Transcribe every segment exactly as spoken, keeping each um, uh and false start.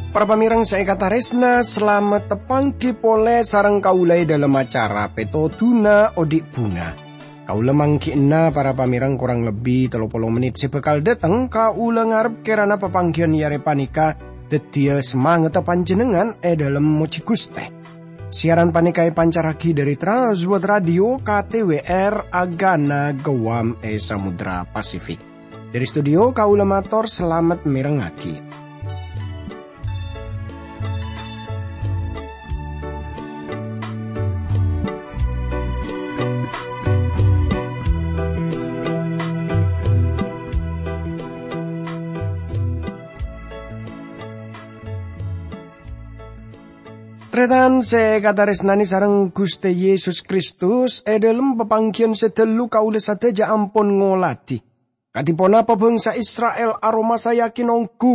Para pamèrèng sè èkatarèsna, salamet tapanggi polè sareng kaulâ è dhâlem acara Pètodhuna Odi' Bhunga. Kaulâ mangghi'na para pamèrèng korang lebbi tello polo mennit sè bhâkal dâteng, kaulâ ngarep kèrana papangghiyân è arè panèka dhâddhiyâ samangatta panjhennengngan è dhâlem mojhi Ghustè. Siaran panèka èpancarraghi dhâri Trans World Radio K T W R Agana Guam è Samudra Pasifik. Dhâri studio kaulâ mator salamet mèrengngaghi. Tarètan sè èkatarèsnanè sareng Ghustè Yesus Kristus, è dhâlem papangghiyân sè dâllu kaulâ sadhâjâ ampon ngolatè kadhi ponapa bhângsa Isra'il aromasayaghi nonggu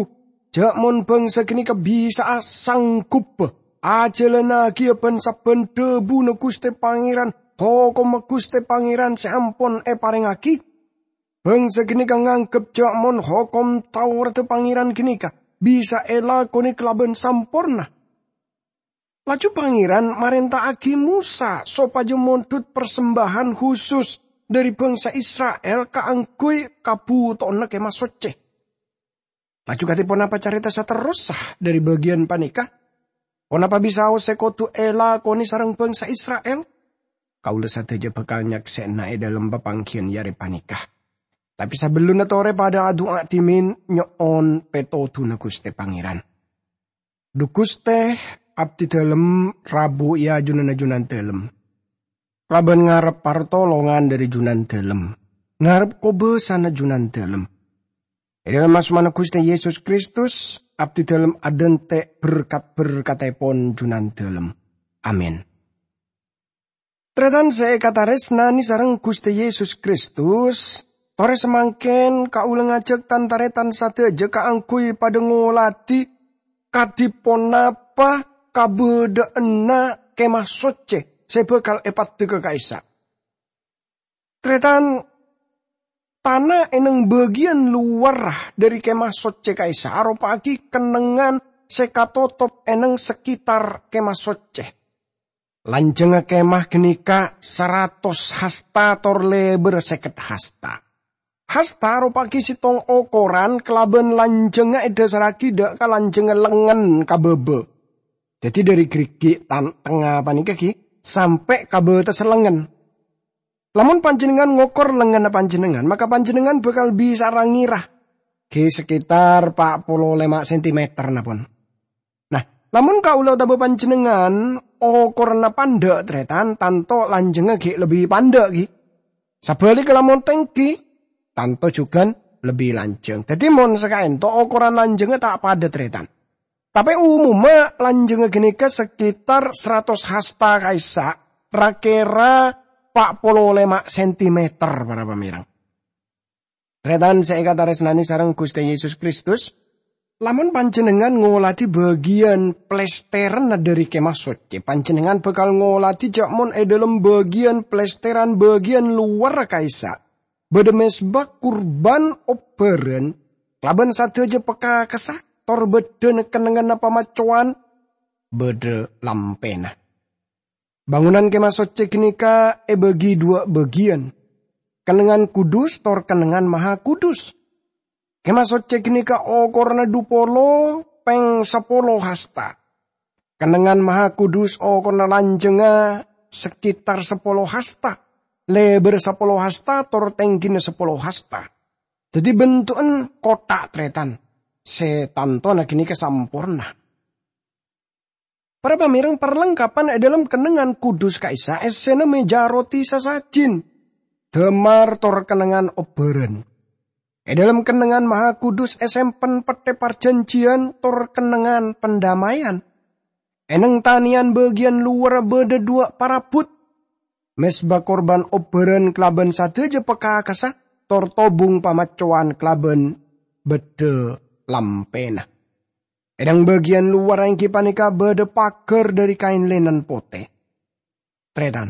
jhâ' mon bhângsa ghânèka bisa'a sangghubbhâ ajhâlânaghiyâ bân-sabbhân dhâbuna Ghustè Pangèran, hokomma Ghustè Pangèran sè ampon èparèngngaghi. Bhângsa ghânèka nganggep jhâ' mon hokom Tauradhâ Pangèran ghânèka bisa èlakonè kalabân samporna. Laju Pangèran marènta'aghi Mosa sopajâ mondhut parsembâhân husus dhâri bhângsa Isra'il kaangghuy kabhutowanna Kèma Soccè. Laju kadhi ponapa carèta saterrossa dhâri bâgiyân panèka? Ponapa bisaos sè kodhu èlakonè sareng bhângsa Isra'il? Kaulâ sadhâjâ bhâkal nyaksè'ana è dhâlem papangghiyân è arè panèka. Tapè sabellunna torè padâ adu'a dhimèn nyo'on pètodhuna Ghustè Pangèran. Dhu Ghustè, abdhi dhâlem rabu è ajunanna Jhunandhâlem. Kalabân ngarep partolongan dhâri Jhunandhâlem, ngarep kobâsana Jhunandhâlem. È dhâlem asmana Ghustè Yesus Kristus, abdhi dhâlem adhânte' berkat-berkattèpon Jhunandhâlem. Amin. Tarètan sè èkatarèsnanè sareng Ghustè Yesus Kristus, torè samangkèn kaulâ ngajhâk tan-tarètan sadhâjâ kaangghuy padâ ngolatè kadhi ponapa kabâdâ'ânna Kèma Soccè sè bhâkal èpaddhâghâ ka'issa'. Tarètan, tana è neng bâgiyân lowar dhâri Kèma Soccè ka'issa' aropa'aghi kennengngan sè katotop è neng sekitar Kèma Soccè. Lanjhângnga kèma ghânèka saratos hasta tor lèbârra sèket hasta. Hasta aropa'aghi sèttong okoran kalabân lanjhângnga èdhâsarraghi dâ' ka lanjhângnga lengngen ka bâbâ. Dhâddhi dhâri gherrighi' tan-, tengnga panèka ghi sampè' ka bâtessa lengngen. Lamon panjhennengngan ngokor lengngenna panjhennengngan, maka panjhennengngan bhâkal bisa'a ra-ngèra ghi sekitar pa' polo lèma' sentimeter, napa. Nah, lamon kaulâ otabâ panjhennengngan okoranna pandâ', tarètan, tanto lanjhângnga ghi' lebbi pandâ', ghi. Sabhâligghâ, lamon tèngghi, tanto jhughân lebbi lanjhâng. Dhâddhi, mon sakaènto okoran lanjhângnga ta' padâ, tarètan. Tapè umumma lanjhângnga ghânèka sekitar saratos hasta ka'issa', ra-kèra pa' polo lèma' sentimeter, para pamèrèng. Tarètan sè èkatarèsnanè sareng Ghustè Yesus Kristus, lamon panjhennengngan ngolatè bâgiyân plèstèranna dhâri Kèma Soccè, panjhennengngan bhâkal ngolatè jhâ' mon è dhâlem bâgiyân plèstèran bâgiyân lowarra ka'issa' bâdâ mezba kurban obbhârân kalabân sadhâjâ pakakassa, tor bâdâna kennengnganna pamaccowan, bâdâ lampèna. Bângonan Kèma Soccè ghânèka èbâgi dhuwâ' bâgiyân, kennengngan kudus tor kennengngan mahakudus. Kèma Soccè ghânèka okoranna dhu polo pèng sapolo hasta. Kennengngan mahakudus okoranna lanjhângnga sekitar sapolo hasta, lèbârra sapolo hasta, tor tèngghina sapolo hasta. Dhâddhi, bentu'en kottha', tarètan, sè tantona ghânèka samporna. Para pamèrèng, parlengkapan è dhâlem kennengngan kudus ka'issa' èssèna mèja roti sasajin, dâmar tor kennengngan obbhârân. È dhâlem kennengngan mahakudus èsempen pettè parjhânjhiyân tor kennengngan pandamèyan. È neng tanèyan bâgiyân lowarra bâdâ dhuwâ' parabbhut, mezba kurban obbhârân kalabân sadhâjâ pakakassa, tor tobung pamaccowan kalabân bâdâ lampèna. È neng bâgiyân lowar èngghi panèka bâdâ paghâr dhâri kaèn linen potè. Tarètan,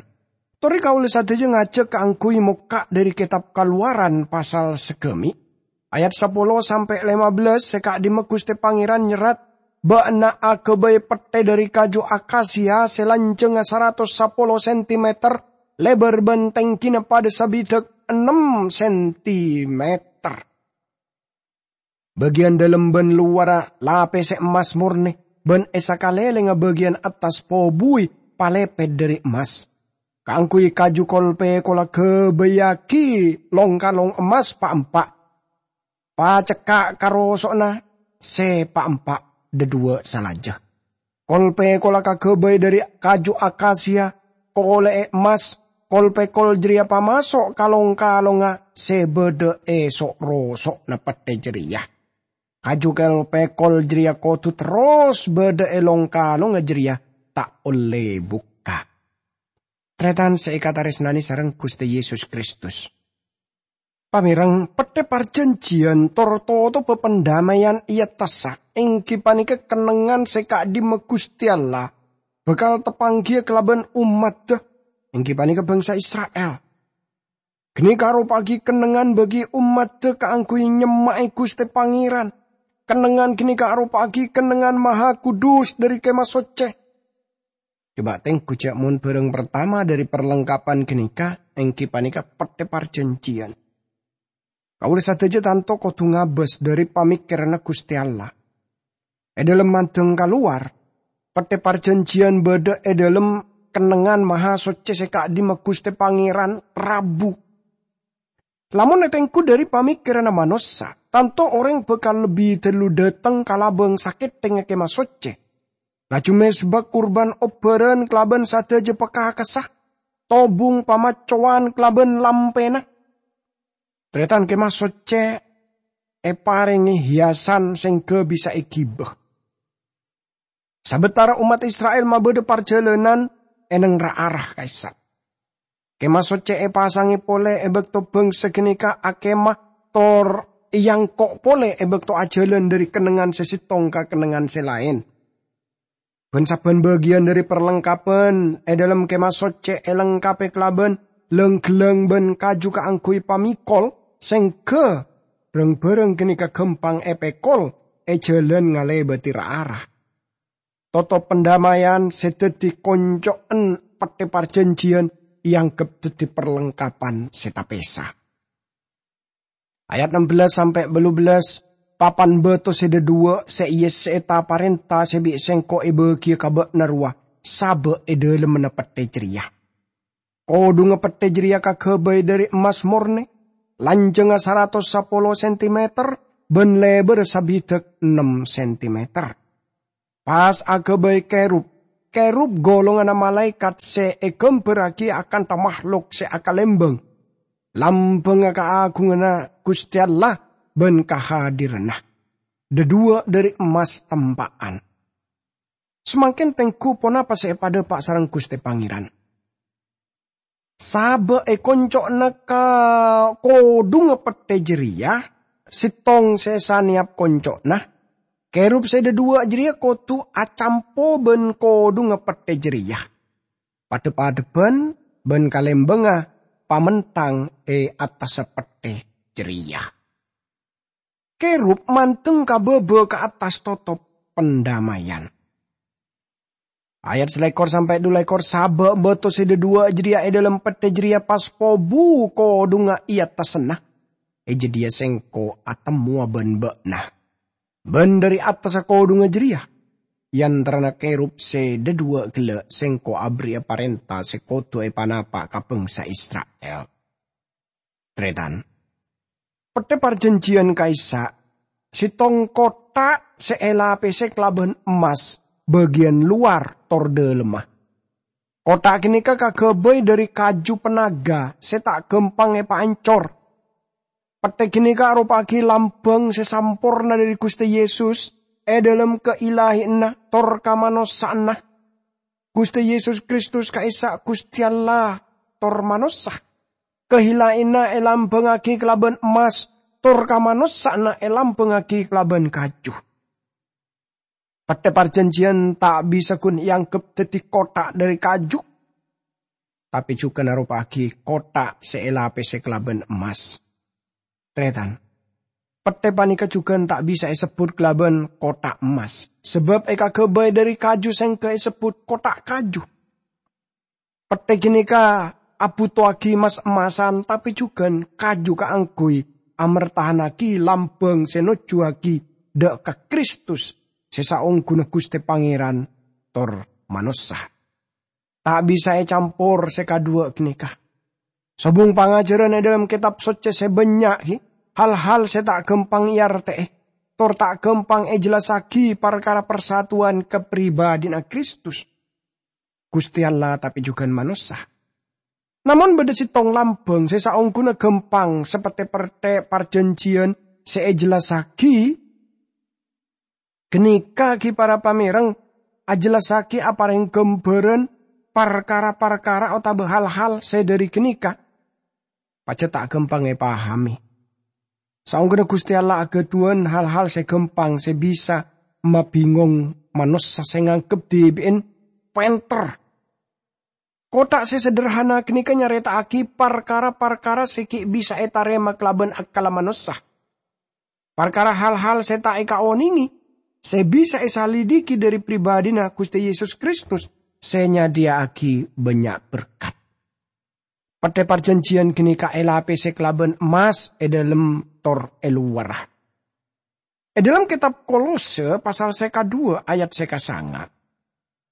torè kaulâ sadhâjâ ngajhâk kaangghuy mokka' dhâri Kètab Kalowaran pasal saghâmè', ayat sapolo sampè' lèma bellâs sè ka'dimma Ghustè Pangèran nyerrat, "Bâ'na aghâbây pettè dhâri kaju akasia sè lanjhângnga saratos sapolo sentimeter, lèbâr bân tèngghina padâ sabidhâk ennem sentimeter." Bâgiyân dâlem bân lowarra lapèsè emmas mornè, bân è sakalèlèngnga bâgiyân attas pobuwi palèpèt dhâri emmas. Kaangghuy kaju kol-pèkolla ghâbâyyaghi long-kalong emmas pa'-empa'. Pacekka' karoso'na sè pa'-empa' dhâduwâ' salajâ. Kol-pèkolla kaghâbây dhâri kaju akasia, kolè'è emmas, kol-pèkol jârèya pamaso' ka long-kalongnga sè bâdâ è so'-roso'na pettè jârèya. Kaju kol-pèkol jârèya kodhu terros bâdâ è long-kalongnga jârèya, ta' ollè bukka'. Tarètan sè èkatarèsnanè sareng Ghustè Yesus Kristus. Pamèreng, pettè parjhânjhiyân tor totobhâ pandamèyan è attassa, èngghi panèka kennengngan sè ka'dimma Ghustè Allah bhâkal tapangghiyâ kalabân ommaddhâ, èngghi panèka bhângsa Isra'il. Ghânèka aropa'aghi kennengngan bagi ommaddhâ kaangghuy nyemma'è Ghustè Pangèran. Kennengngan ghânèka aropa'aghi kennengngan maha kudus dhâri Kèma Soccè. Coba tengghu jhâ' mon bhârâng partama dhâri parlengkapan ghânèka èngghi panèka pettè parjhânjhiyân. Kaulâ sadhâjâ tanto kodhu ngabâs dhâri pamèkkèranna Ghustè Allah. È dâlem mandhâng kalowar, pettè parjhânjhiyân bâdâ è dâlem kennengngan maha soccè sè ka'dimma Ghustè Pangèran rabu. Lamon ètengghu dhâri pamèkkèranna manossa, tanto orèng bhâkal lebbi dâllu dâteng ka labâng sakèttengnga Kèma Soccè, laju mèzba kurban obbhârân kalabân sadhâjâ pakakassa, tobung pamaccowan kalabân lampèna. Tarètan Kèma Soccè èparèngè hiyasan sèngghâ bisa èghibâ. Sabâtara ommat Isra'il mabâdâ parjhâlânan è neng ra-ara ka'issa'. Kèma Soccè èpasangè polè è bâkto bhângsa ghânèka akèma tor èangko' polè è bâkto ajhâlân dhâri kennengngan sè sèttong ka kennengngan sè laèn. Bân sabbhân bâgiyân dhâri parlengkapan è dâlem Kèma Soccè èlengkapè kalabân lang-ghellâng bân kaju kaangghuy pamèkol sèngghâ rang-bhârâng ghânèka ghâmpang èpèkol è jhâlân ngalèbâdhi ra-ara. Totop pandamèyan sè dhâddhi konco'en pettè parjhânjhiyân èangghep dhâddhi parlengkapan sè tapèsa. Ayat ennem belas sampè' bâllu belas, "Papan bâto sè dhâduwâ' sè èyessè'è ta-parènta sè bi' Sèngko' èbâgiyâ ka bâ'na rowa sabâ' è dâlemmanna pettè jârèya. Kodhungnga pettè jârèya kaghâbây dhâri emmas mornè, lanjhângnga saratos sapolo sentimeter, bân lèbârra sabidhâk ennem sentimeter. Pas aghâbây kèrub, kèrub golonganna malaèkat sè èghâmbhârraghi akanta mahlok sè akalèmbâng, lambângnga kaagunganna Ghustè Allah bân kahadiranna. Dhâduwâ' dhâri emmas tempa'an." Samangkèn tengghu ponapa sè èpadhâpa' sareng Ghustè Pangèran? Sabâ' è konco'na ka kodhungnga pettè jârèya, sèttong sè sanèyap konco'na, kèrub sè dhâduwâ' jârèya kodhu acampo bân kodhungnga pettè jârèya. Padhâp-padhâbhân bân kalèmbângnga pamentang è attassa pettè jârèya. Kèrub mandeng ka bâbâ ka attas totop pandamèyan. Ayat salèkor sampè' dhu lèkor, "Sabâ' bâto sè dhâduwâ' jârèya è dâlem pettè jârèya pas pobu kodhungnga è attassanna, è jâdiyâ Sèngko' atemmowa bân bâ'na. Bân dhâri attassa kodhungnga jârèya, è antarana kèrub sè dhâduwâ' ghellâ' Sèngko' aberri'â parènta sè kodhu èpanapa' ka bângsa Isra'il." Tarètan. Pettè parjhânjhiyân ka'issa', sèttong kottha' sè èlapèsè kalabân emmas bâgiyân lowar tor dâlemma. Kottha' ghânèka kaghâbây dhâri kaju panaga sè ta' ghâmpang èpaancor. Pettè ghânèka aropa'aghi lambâng sè samporna dhâri Ghustè Yesus è dâlem kailahiyanna tor kamanossa'anna. Ghustè Yesus Kristus ka'issa' Ghustè Allah tor manossa. Kahilayanna èlambângngaghi kalabân emmas, tor kamanossa'anna èlambângngaghi kalabân kaju. Pettè parjhânjhiyân ta' bisa ghun èangghep dhâddhi kotthak dhâri kaju, tapè jhughân aropa'aghi kotthak sè èlapèsè kalabân emmas. Tarètan, pettè panèka jhughân ta' bisa èsebbhut kalabân kotthak emmas, sabâb èkaghâbây dhâri kaju sèngghâ èsebbhut kotthak kaju. Pettè ghânèka abhutowaghi mas-emmasan, tapè jhughân kaju kaangghuy amertahannaghi lambâng sè nojjhuwaghi dhâ' ka Kristus sè saongghuna Ghustè Pangèran tor manossa. Ta' bisa ècampor sè kadhuwâ' ghânèka. Sobung pangajhârân è dhâlem Kètab Soccè sè bânnya' ghi' hal-hal sè ta' ghâmpang èartè'è, tor ta' ghâmpang èjellassaghi parkara parsatuwan kapribadhina Kristus, Ghustè Allah, tapè jhughân manossa. Namong bâdâ sèttong lambâng sè saongghuna ghâmpang, sapèttè pettè parjhânjhiyân sè èjellassaghi, ghânèka ghi' para pamèreng, ajellassaghi aparèng ghâmbhârân parkara-parkara otabâ hal-hal sè dhâri ghânèka pajhât ta' ghâmpang èpahamè. Saongghuna Ghustè Allah aghâdhuwân hal-hal sè ghâmpang sè bisa mabingong manossa sè nganggep dhibi'en pènter. Kotthak sè sederhana ghânèka nyarèta'aghi parkara-parkara sè ghi' bisa ètarèma kalabân akkalla manossa. Parkara hal-hal sè ta' èkaonèngè, sè bisa èsalidiki dhâri pribadhina Ghustè Yesus Kristus sè nyadhiyâ'aghi bânnya' berkat. Pettè parjhânjhiyân ghânèka èlapèsè kalabân emmas è dhâlem tor è lowarra. È dhâlem Kètab Kolose pasal sè kadhuwâ' ayat sè kasanga',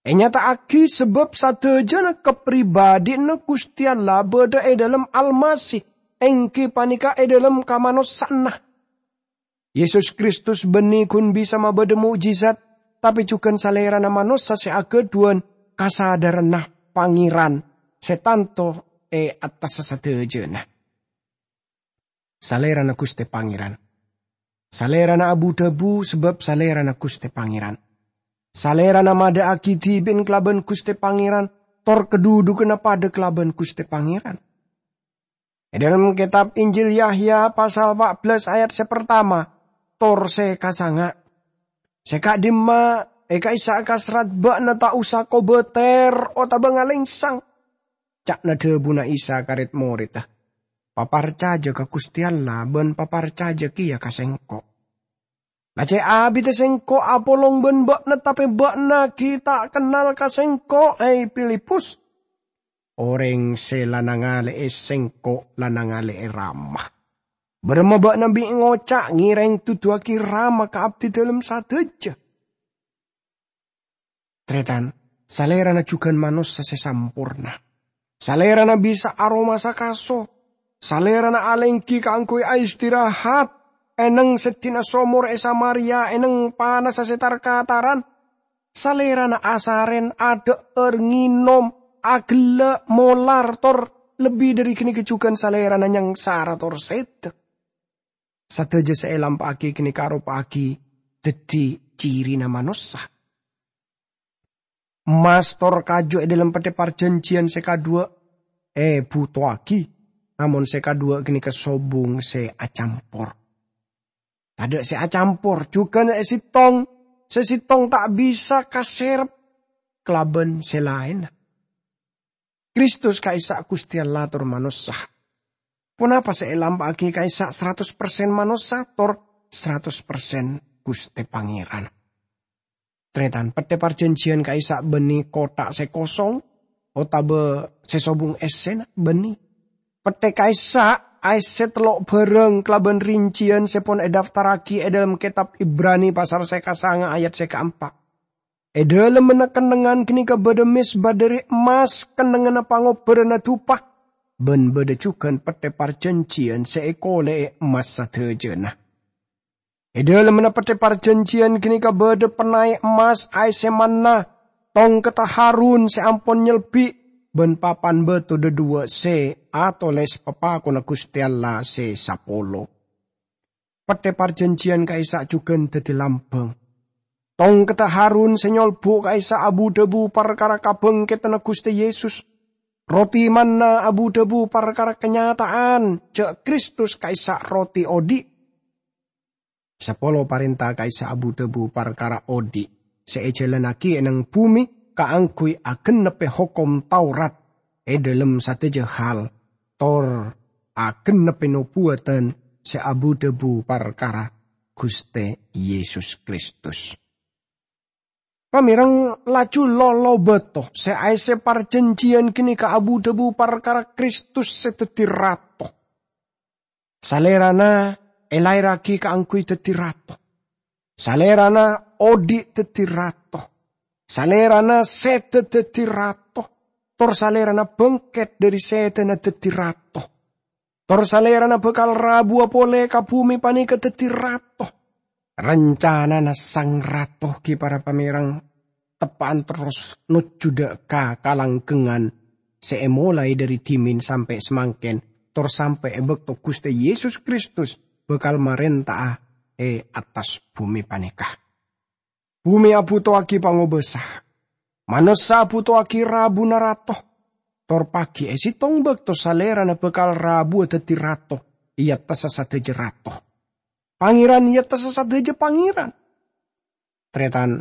ènyata'aghi sabâb sadhâjâna kapribadhina Ghustè Allah bâdâ è dhâlem Almasih, èngghi panèka è dhâlem kamanossa'anna. Yesus Kristus bânnè ghun bisa mabâdâ mo'jizat, tapè jhughân Salèrana manossa sè aghâdhuwân kasadhârânna Pangèran sè tanto è attassa sadhâjâna. Salèrana Ghustè Pangèran. Salèrana abu-dhâbu sabâb Salèrana Ghustè Pangèran. Salèrana madâ'aghi dhibi'en kalabân Ghustè Pangèran, tor kadhudhughânna padâ kalabân Ghustè Pangèran. È dhâlem Kètab Injil Yahya pasal pa' bellâs ayat sè partama tor sè kasanga', "Sè ka'dimma è ka'issa' kaserrat bâ'na ta' osa kobâtèr otabâ ngalèngsang," ca'na dhâbuna Isa ka red-moredda, "Paparcajâ ka Ghustè Allah bân paparcajâ kèya ka Sèngko'. La cè' abidhâ Sèngko' apolong bân bâ'na, tapè bâ'na ghi' ta' kennal ka Sèngko', hè Filipus. Orèng sè la nangalè'è Sèngko' la nangalè'è Rama. Bârâmma bâ'na bi' ngoca' ngèrèng duduwâghi Rama ka abdidâlem sadhâjâ?" Tarètan, Salèrana jhughân manossa sè samporna. Salèrana bisa aromasa kaso. Salèrana alèngghi kaangghuy aistirahat, è neng seddhina somor è Samaria, è neng panassa sè tar-kataran. Salèrana asarèn, adhâ'âr, ngènom, aghellâ', molar, tor lebbi dhâri ghânèka jhughân Salèrana nyangsara tor sèdhâ. Sadhâjâ sè èlampa'aghi ghânèka aropa'aghi dhâddhi cirina manossa. Emmas tor kaju è dhâlem Pettè Parjhânjhiyân sè kadhuwâ' èbhutowaghi, namong sè kadhuwâ' ghânèka sobung sè acampor. Tadâ' sè acampor, jhughân sè sèttong, sè sèttong ta' bisa kaserrep kalabân sè laènna. Kristus ka'issa' Ghustè Allah tor manossa. Ponapa sè èlampa'aghi ka'issa' saratos persen manossa tor saratos persen Ghustè Pangèran? Tarètan, Pettè Parjhânjhiyân ka'issa' bânnè kotthak sè kosong otabâ sè sobung essèna? Bânnè. Pettè ka'issa' aèssè tello' bhârâng kalabân rincèyan sè pon èdaftarraghi è dhâlem Kètab Ibrani pasal sè kasanga' ayat sè kaempa'. È dhâlemmanna kennengngan ghânèka bâdâ mezba dhâri emmas, kennengnganna pangobbhâranna dupa, bân bâdâ jhughân Pettè Parjhânjhiyân sè èkolè'è emmas sadhâjâna. È dhâlemmanna Pettè Parjhânjhiyân ghânèka bâdâ pènaè emmas aèssè manna, tongkedda Harun sè ampon nyelbi', bân papan bâto dhâduwâ' sè atolès papakonna Ghustè Allah sè sapolo. Pettè Parjhânjhiyân ka'issa' jhughân dhâddhi lambâng. Tongkedda Harun sè nyolbu' ka'issa' abu-dhâbu parkara kabhângkèdhânna Ghustè Yesus. Roti manna abu-dhâbu parkara kanyata'an jhâ' Kristus ka'issa' roti odi'. Sapolo parènta ka'issa' abu-dhâbu parkara odi'. sè èjhâlânnaghi è neng bhumè kaangghuy agennebbhi hokom Taurat è dhâlem sadhâjâ hal, tor agennebbhi nobuwâdhân sè abu-dhâbu parkara Ghustè Yesus Kristus. Pamèreng, laju lolo bâto sè aèssè parjhânjhiyân ghânèka abu-dhâbu parkara Kristus sè dhâddhi Rato. Salèrana èlaèrraghi kaangghuy dhâddhi Rato. Salèrana odhi' dhâddhi Rato. Salèrana sèdhâ dhâddhi Rato. Tor Salèrana bângkèt dhâri sèdhâna dhâddhi Rato. Tor Salèrana bhâkal rabuwâ polè ka bhumè panèka dhâddhi Rato. Rancanana Sang Rato ghi' para pamèreng teppa'an terros nojjhu dâ' ka kalanggengngan sè èmolaè dhâri dhimèn sampè' samangkèn, tor sampè' è bâkto Ghustè Yesus Kristus bhâkal marènta'a è attas bhumè panèka. Bhumè abhuto'aghi pangobâsa. Manossa abhuto'aghi rabuna rato. Tor paghi è sèttong bâkto Salèrana bhâkal rabuwâ dhâddhi Rato è attassa sadhâjâ rato. Pangèran è attassa sadhâjâ pangèran. Tarètan,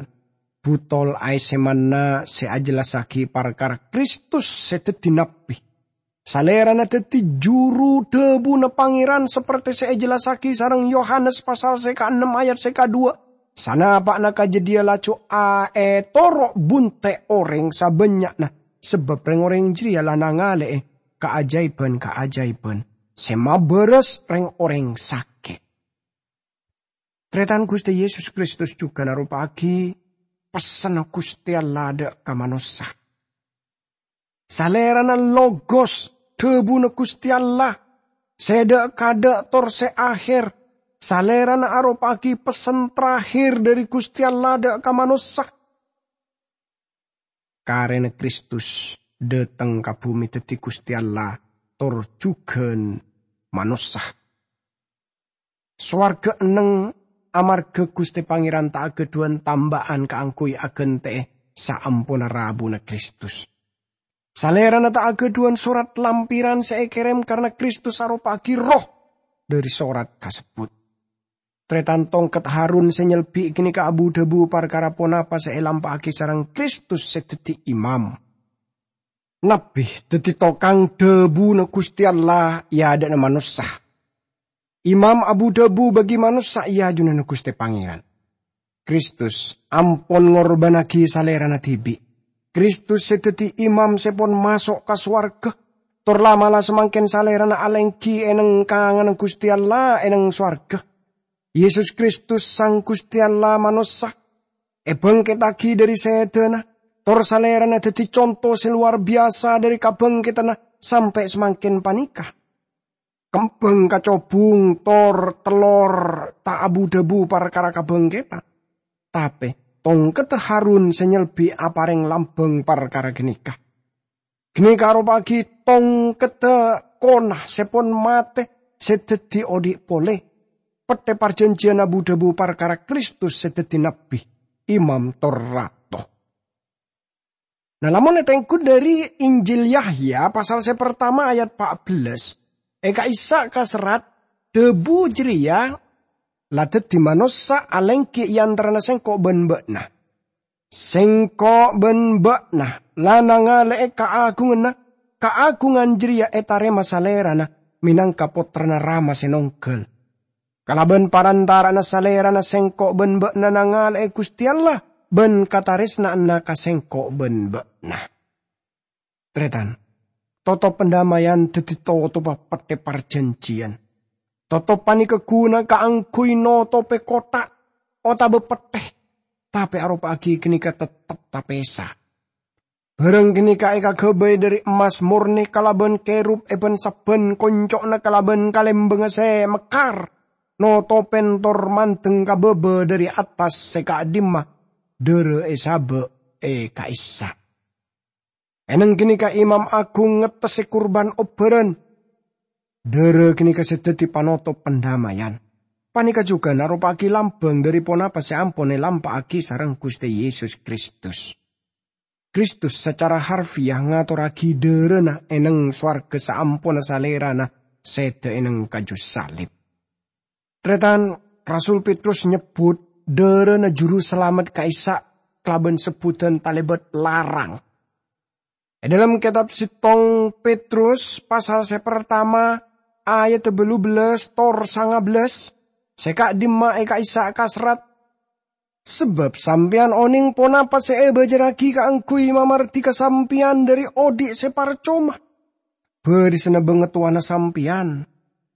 butol aèssè manna sè ajhellassaghi parkara Kristus sè dhâddhi nabbhi. Salèrana dhâddhi juru dhâbuna Pangèran, saperte sè èjellassaghi sareng Yohanes pasal sè kaennem ayat sè kaduwâ'. Sanapa'na ka jâdiyâ laju aètoro' bunte' orèng sabânnya'na, sabâb rèng-orèng jârèya la nangalè'è kaajâibhân-kaajâibhân sè mabârâs rèng-orèng sakè'. Tarètan, Ghustè Yesus Kristus jhughân aropa'aghi pessenna Ghustè Allah dâ' ka manossa. Salèrana Logos, dhâbuna Ghustè Allah, sè dâ'-kadâ' tor sè aher. Salèrana aropa'aghi pessen terakhir dhâri Ghustè Allah dâ' ka manossa. Karèna Kristus dâteng ka bhumè dhâddhi Ghustè Allah tor jhughân manossa. Sowarghâ enneng amarghâ Ghustè Pangèran ta' aghâdhuwân tamba'an kaangghuy aghântè'è saamponna rabuna Kristus. Salèrana ta' aghâdhuwân sorat lampiran sè èkèrèm karna Kristus aropa'aghi Erroh dhâri sorat kasebbhut. Tarètan, tongket Harun sè nyelbi' ghânèka abu-dhâbu parkara ponapa sè èlampa'aghi sareng Kristus sè dhâddhi imam. Nabbhi dhâddhi tokang dhâbuna Ghustè Allah è adâ'na manossa. Imam abu-dhâbu bagi manossa è ajunanna Ghustè Pangèran. Kristus ampon ngorbhânnaghi Salèrana dhibi'. Kristus sè dhâddhi imam sè pon maso' ka sowarghâ, tor la'-mala' samangkèn Salèrana alèngghi è neng kanganna Ghustè Allah è neng sowarghâ. Yesus Kristus, Sang Ghustè Allah manossa, èbângkèttaghi dhâri sèdhâna, tor Salèrana dhâddhi conto sè lowar biyasa dhâri kabângkèttanna sampè' samangkèn panèka. Kembhâng kacobung tor tellor ta' abu-dhâbu parkara kabângkèttan, tapè tongkedda Harun sè nyelbi' aparèng lambâng parkara ghânèka. Ghânèka aropa'aghi tongkedda kona sè pon matè sè dhâddhi odhi' polè, pettè parjhânjhiyân abu-dhâbu parkara Kristus sè dhâddhi nabbhi, imam tor rato. Nah, lamon ètengghu dhâri Injil Yahya pasal sè partama ayat pa' bellâs, è ka'issa' kaserrat, dhâbu jârèya la dhâddhi manossa alèngghi è antarana sèngko' bân bâ'na. Sèngko' bân bâ'na la nangalè'è kaagunganna, kaagungan jârèya ètarèma Salèrana mènangka Pottrana Rama sè nongghâl. Kalabân parantara'anna Salèrana sèngko' bân bâ'na nangalè'è Ghustè Allah, bân katarèsna'anna ka sèngko' bân bâ'na. Tarètan, totop pandammayan dhâddhi totobba pettè parjhânjhiyân. Totop panèka ghuna kaangghuy notobhi kottha' otabâ pettè, tapè aropa'aghi ghânèka teptep tapèsa. Bhârâng ghânèka èkaghâbây dhâri emmas mornè kalabân kerub è bân-sabbhân konco'na kalabân kalèmbângnga sè mekkar, notopèn tor mandeng ka bâbâ dhâri attas sè ka'dimma dârâ èsabâ' è ka'issa'. È neng ghânèka Imam Agung ngettessè kurban obbhârân. Dârâ ghânèka sè dhâddhi panotop pandammayan. Panèka jhughân aropa'aghi lambâng dhâri ponapa sè ampon èlampa'aghi sareng Ghustè Yesus Kristus. Kristus sacara harfiah ngatorraghi dârâna è neng sowarghâ saamponna Salèrana sèdhâ è neng kaju salib. Tarètan, Rasul Petrus nyebbhut dârâna Juru Salamet ka'issa' kalabân sebbhudhân talèbât larang. È dhâlem kètab sèttong Petrus pasal sè partama ayat bâllu bellâs tor sanga bellâs, sè ka'dimma è ka'issa' kaserrat, "Sabâb sampèyan onèng ponapa sè èbâjârraghi kaangghuy mamardhika sampèyan dhâri odhi' sè parcoma. Bârisanna bângatowana sampèyan,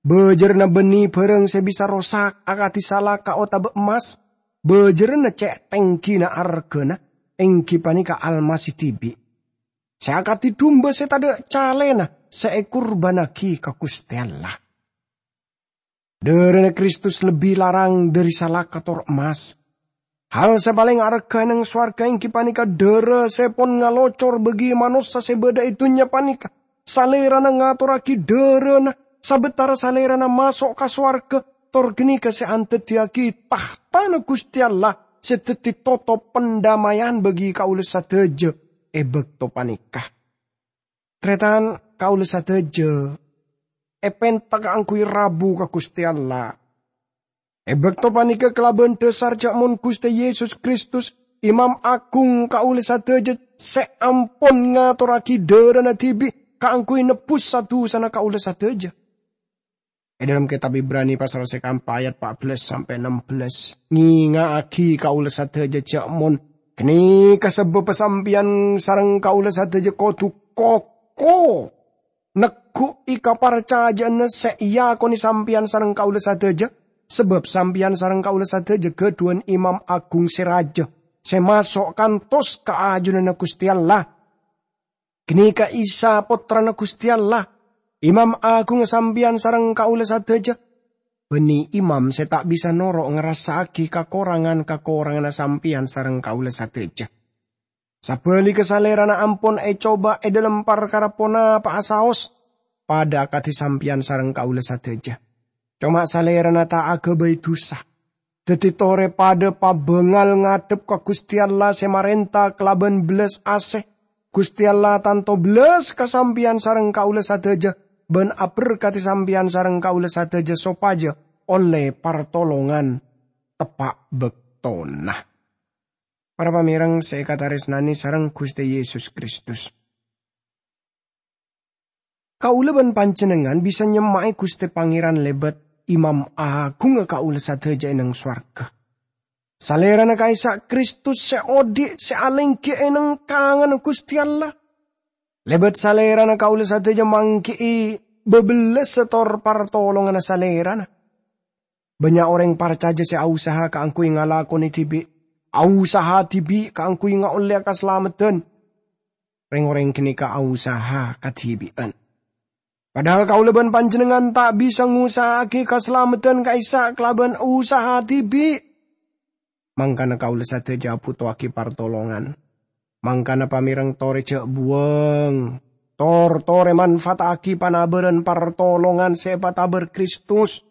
bâjârânna bânnè bhârâng sè bisa rosak akadhi salaka otabâ emmas, bâjârânna cè' tèngghina arghâna, èngghi panèka Almasih dhibi', sè akadhi dumba sè tadhâ' calèna sè èkurbânnaghi ka Ghustè Allah." Dârâna Kristus lebbi larang dhâri salaka tor emmas. Hal sè palèng arghâ è neng sowarghâ èngghi panèka dârâ sè pon ngalocor bagi manossa sè bâdâ è dhunnya panèka. Salèrana ngatorraghi dârâna sabâtara Salèrana maso' ka sowarghâ, tor ghânèka sè andhâddhiyâghi tahtana Ghustè Allah sè dhâddhi totop pandammayan bagi kaulâ sadhâjâ è bâkto panèka. Tarètan, kaulâ sadhâjâ èpènta kaangghuy rabu ka Ghustè Allah. È bâkto panèka kalabân dhâsar jhâ' mon Ghustè Yesus Kristus, Imam Agung kaulâ sadhâjâ sè ampon ngatorraghi dârâna dhibi' kaangghuy nebbhus sa-dusana kaulâ sadhâjâ. È dhâlem kètab Ibrani pasal sè kaempa ayat pa' bellâs sampè' ennem bellâs, ngènga'aghi kaulâ sadhâjâ jhâ' mon ghânèka sabâbbhâ sampèyan sareng kaulâ sadhâjâ kodhu koko negghu'i kaparcajâ'ânna sè èakonè sampèyan sareng kaulâ sadhâjâ, sabâb sampèyan sareng kaulâ sadhâjâ ghâdhuwân Imam Agung sè rajâ, sè maso' kantos ka ajunanna Ghustè Allah. Ghânèka Isa, Pottrana Ghustè Allah, Imam Agungnga sampèyan sareng kaulâ sadhâjâ. Bânnè imam sè ta' bisa noro' ngarassa'aghi kakorangan-kakoranganna sampèyan sareng kaulâ sadhâjâ. Sabhâligghâ, Salèrana ampon ècoba è dhâlem parkara ponapa'a saos, padâ akadhi sampèyan sareng kaulâ sadhâjâ. Coma Salèrana ta' aghâbây dhusa. Dhâddhi torè padâ pabângal ngadhep ka Ghustè Allah sè marènta kalabân bellas asè. Ghustè Allah tanto bellas ka sampèyan sareng kaulâ sadhâjâ, bân aberkadhi sampèyan sareng kaulâ sadhâjâ sopajâ ollè partolongan teppa' bâktona. Para pamèreng sè èkatarèsnanè sareng Ghustè Yesus Kristus. Kaulâ bân panjhennengngan bisa nyemma'è Ghustè Pangèran lèbât Imam Agungnga kaulâ sadhâjâ è neng sowarghâ. Salèrana ka'issa' Kristus sè odhi' sè alèngghi è neng kanganna Ghustè Allah. Lèbât Salèrana kaulâ sadhâjâ mangghi'i bâbellassa tor partolonganna Salèrana. Bânnya' orèng parcajâ sè ausaha kaangghuy ngalakonè dhibi', ausaha dhibi' kaangghuy ngaollèya kasalameddhân. Rèng-orèng ghânèka ausaha kadhibi'ân. Padahal kaulâ bân panjhennengngan ta' bisa ngusaha'aghi kasalameddhân ka'issa' kalabân usaha dhibi'. Mangkana kaulâ sadhâjâ abhutowaghi partolongan. Mangkana pamèreng torè jhâ' buwâng. Tor torè manfaata'aghi panabârân partolongan sè èpatabâr Kristus.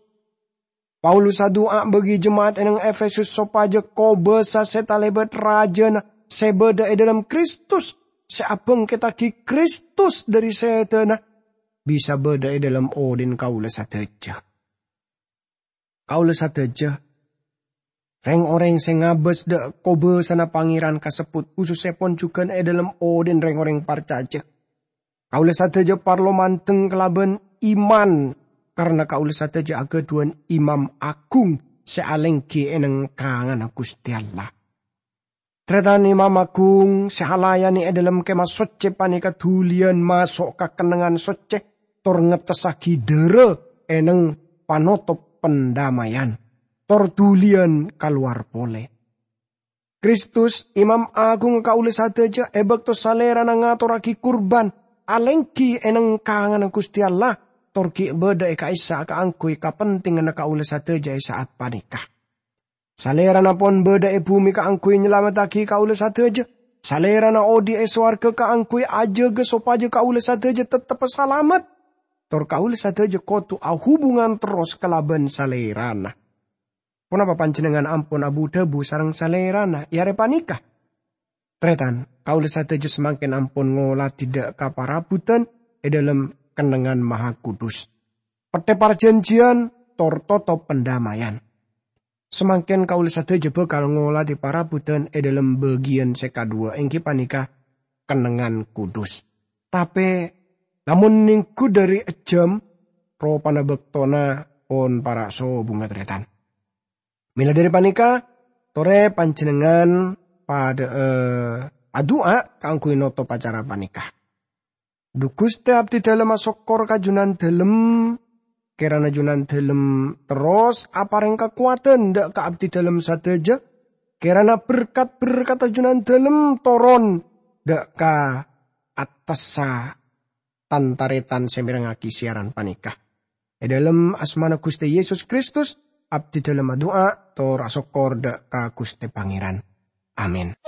Paulus adu'a bagi jema'at è neng Efesus sopajâ kobâsa sè talèbât rajâna sè bâdâ è dhâlem Kristus, sè abhângkettaghi Kristus dhâri sèdhâna, bisa bâdâ è dhâlem odhi'na kaulâ sadhâjâ. Kaulâ sadhâjâ, rèng-orèng sè ngabâs dâ' kobâsana Pangèran kasebbhut, khusussèpon jhughân è dhâlem odhi'na rèng-orèng parcajâ. Kaulâ sadhâjâ parlo mandeng kalabân iman, karna kaulâ sadhâjâ aghâdhuwân Imam Agung sè alèngghi è neng kanganna Ghustè Allah. Tarètan, Imam Agung sè alayanè è dhâlem Kèmah Soccè panèka dhuliyân maso' ka kennengngan soccè, tor ngettessaghi dârâ è neng panotop pandammayan, tor dhuliyân kalowar polè. Kristus, Imam Agung kaulâ sadhâjâ, è bâkto Salèrana ngatorraghi kurban alèngghi è neng kanganna Ghustè Allah, tor ghi' bâdâ è ka'issa' kaangghuy kapentènganna kaulâ sadhâjâ è sa'at panèka. Salèrana pon bâdâ è bhumè kaangghuy nyalamettaghi kaulâ sadhâjâ. Salèrana odhi' è sowarghâ kaangghuy ajâgâ sopajâ kaulâ sadhâjâ tetteppa salamet. Tor kaulâ sadhâjâ kodhu ahubungan terros kalabân Salèrana. Ponapa panjhennengngan ampon abu-dhâbu sareng Salèrana è arè panèka? Tarètan, kaulâ sadhâjâ samangkèn ampon ngoladhi dâ' kaparabhudhân è dhâlem kennengngan mahakudus, pettè parjhânjhiyân, tor totop pandammayan. Samangkèn kaulâ sadhâjâ bhâkal ngolatè parabhudan è dhâlem bâgiyân sè kaduwâ, èngghi panèka kennengngan kudus. Tapè, lamon nèngghu dhâri ejjhâm, ropana bâktona pon para' sobungnga tarètan. Mèla dhâri panèka, torè panjhennengngan padhâ'â adu'a kaangghuy notop acara panèka. Dhu Ghustè, abdhidhâlem asokkor ka Jhunandhâlem, kèrana Jhunandhâlem terros aparèng kakowadhân dhâ' ka abdhidhâlem sadhâjâ, kèrana berkat-berkatta Jhunandhâlem toron dhâ' ka attassa tan-tarètan sè mèrengngaghi siyaran panèka. È dhâlem asmana Ghustè Yesus Kristus, abdhidhâlem adu'a tor asokkor dhâ' ka Ghustè Pangèran. Amin.